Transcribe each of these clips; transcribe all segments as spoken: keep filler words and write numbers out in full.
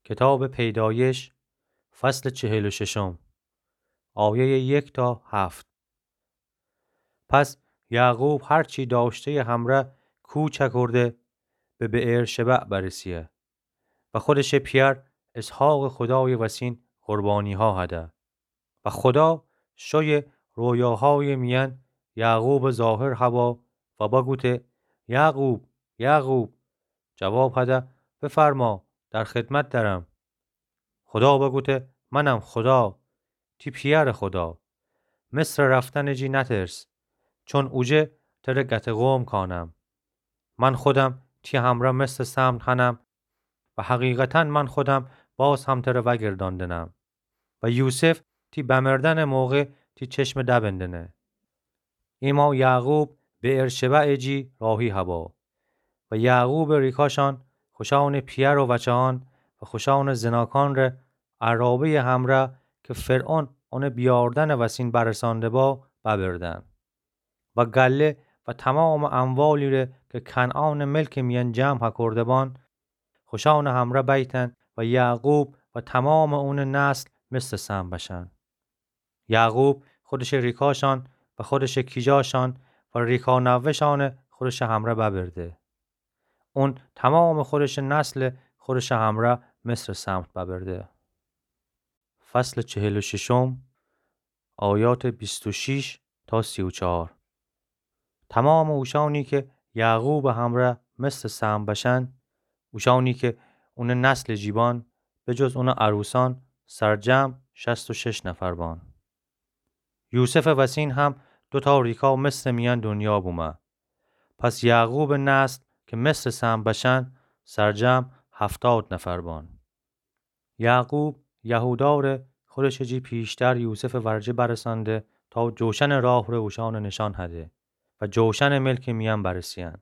کتابٚ پیدایش، فصلٚ چهل و ششم، آیهٔ یک تا هفت. پس یعقوب هر چی داشته‌یٚ همرأ کوچ کرده، به بئرشبع برسه و خودشٚ پیأر اسحاقٚ خودایٚ وسین قربانی‌ها هده. و خودا شویٚ رویاهایٚ میأن یعقوبٚ ظاهر هوا و بگوته: یعقوب، یعقوب! جواب هده: بفرما، در خدمت درم. خودا بگوته: منم خودا، تی پیأرٚ خودا. مصر رفتنٚ جی نترس، چون اوجه تره گته‌قوم کانم. من خودم تی همرأ مثلٚ سهم هنم و حقیقتاً من خودم باز هم تره وأگردأندنم. و یوسف تی بمردنٚ موقع تی چشمٚ دبندنه. ایمأ یعقوب بئرشبعٚ جی راهی هوا. و یعقوبٚ ریکاشأن، خوشأنٚ پیأر و وچه‌أن و خوشأنٚ زناکأن ره عرابه‌یٚ همرأ که فرعون اونٚ بیأوردنٚ وسین برسانده با، ببردن. و گله و تومامٚ اموالی ره که کنعانٚ ملکٚ میأن جمع کرده بان، خوشأنٚ همرأ بیتن و یعقوب و تومامٚ اونٚ نسل مثلٚ سهم بشن. یعقوب خودشٚ ریکاشأن و خودشٚ کیجاشأن و ریکا نوه‌شأنٚ خودشٚ همرأ ببرده. اون تومامٚ خودشٚ نسل خودشٚ همرأ مصرٚ سمت ببرده. فصلٚ چهل و ششم، آیاتٚ بیست و شش تا سی و چهار. تومامٚ اوشأنی که یعقوبٚ همرأ مصرٚ سهم بشن، اوشأنی که اونٚ نسلٚ جی بان، به جز اونٚ عروسأن، سرجمع شصت و شش نفر بان. یوسفٚ وسین هم دو تا ریکا مصرٚ میأن دنیا بومه. پس یعقوبٚ نسل که مصرٚ سهم بشن، سرجمع هفتاد نفر بان. یعقوب یهودا ره خودشٚ جی پیشتر یوسفٚ ورجه برسانده تا جوشنٚ راه ره اوشأنٚ نشأن هده و جوشنٚ ملکٚ میأن برسه‌یأن.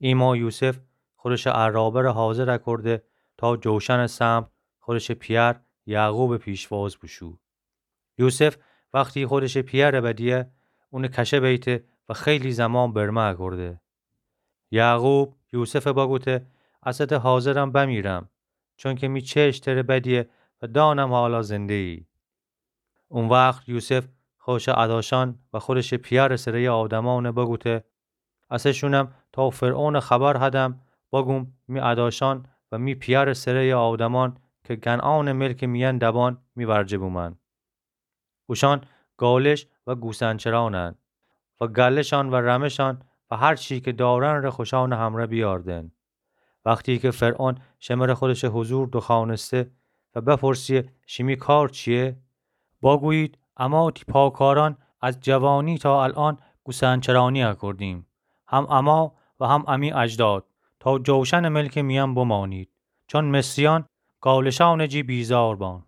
ایمأ یوسف خودشٚ عرابه ره حاضر کرده تا جوشنٚ سمت خودشٚ پیأر یعقوبٚ پیشواز بوشو. یوسف وختی خودشٚ پیأر بدیه، اونٚ کشه بیته و خیلی زمان برمه کرده. یعقوب یوسف بگوته: اسه حاضرم بمیرم، چونکه می چشم تره بدیه و دانم حالا زنده‌یی. او وخت یوسف خودشٚ اداشأن و خودشٚ پیأرٚ سره‌یٚ آدمأن بگوته: اسه شونم تا فرعونٚ خبر هدم، بگوم می اداشأن و می پیأرٚ سره‌یٚ آدمأن که کنعانٚ ملکٚ میأن دبان می ورجه بومن. اوشأن گالش و گوسنچرأنن و گله‌شأن و رمه‌شأن و هر چی که دارن ره خوشأنٚ همرأ بیأردن. وختی که فرعون شمره خودشٚ حضور دوخوأنسته و بپرسه: شیمی کار چییه؟ بگویید: اما تی پاکارأن از جوانی تا الأن گوسنچرأنی اکردیم، هم اما و هم امی اجداد، تا جوشنٚ ملکٚ میأن بمانید، چون مصریأن گالشأنٚ جی بیزار بان.